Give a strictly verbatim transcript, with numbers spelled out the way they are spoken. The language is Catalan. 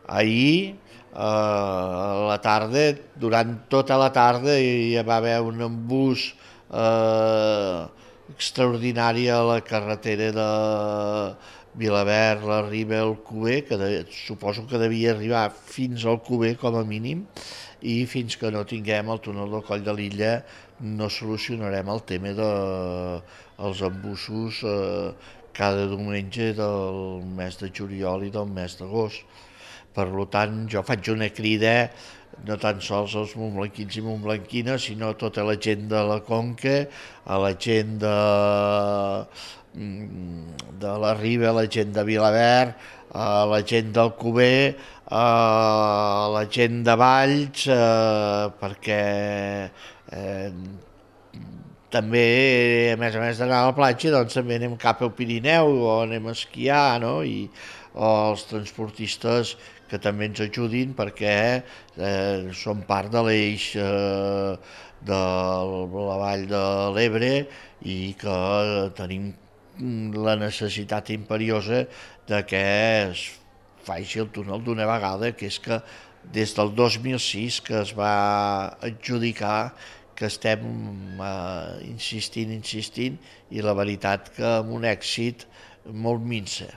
Ahir, a la tarda, durant tota la tarda, hi va haver un embús eh, extraordinari a la carretera de Vilaverd, la Riba, el Cuber, que de, suposo que devia arribar fins al Cuber com a mínim, i fins que no tinguem el túnel del Coll de l'Illa no solucionarem el tema dels de, embussos eh, cada diumenge del mes de juliol i del mes d'agost. Per tant, jo faig una crida no tan sols als montblanquins i montblanquines, sinó a tota la gent de la Conca, a la gent de, de la Riba, a la gent de Vilaverd, a la gent del Cuber, a la gent de Valls, eh, perquè eh, també, a més a més d'anar a la platja, doncs també anem cap al Pirineu o anem a esquiar, no? I, o els transportistes que també ens ajudin perquè eh, som part de l'eix eh, de la vall de l'Ebre i que tenim la necessitat imperiosa de que es faci el túnel d'una vegada, que és que des del dos mil sis que es va adjudicar que estem eh, insistint, insistint, i la veritat que amb un èxit molt minsa.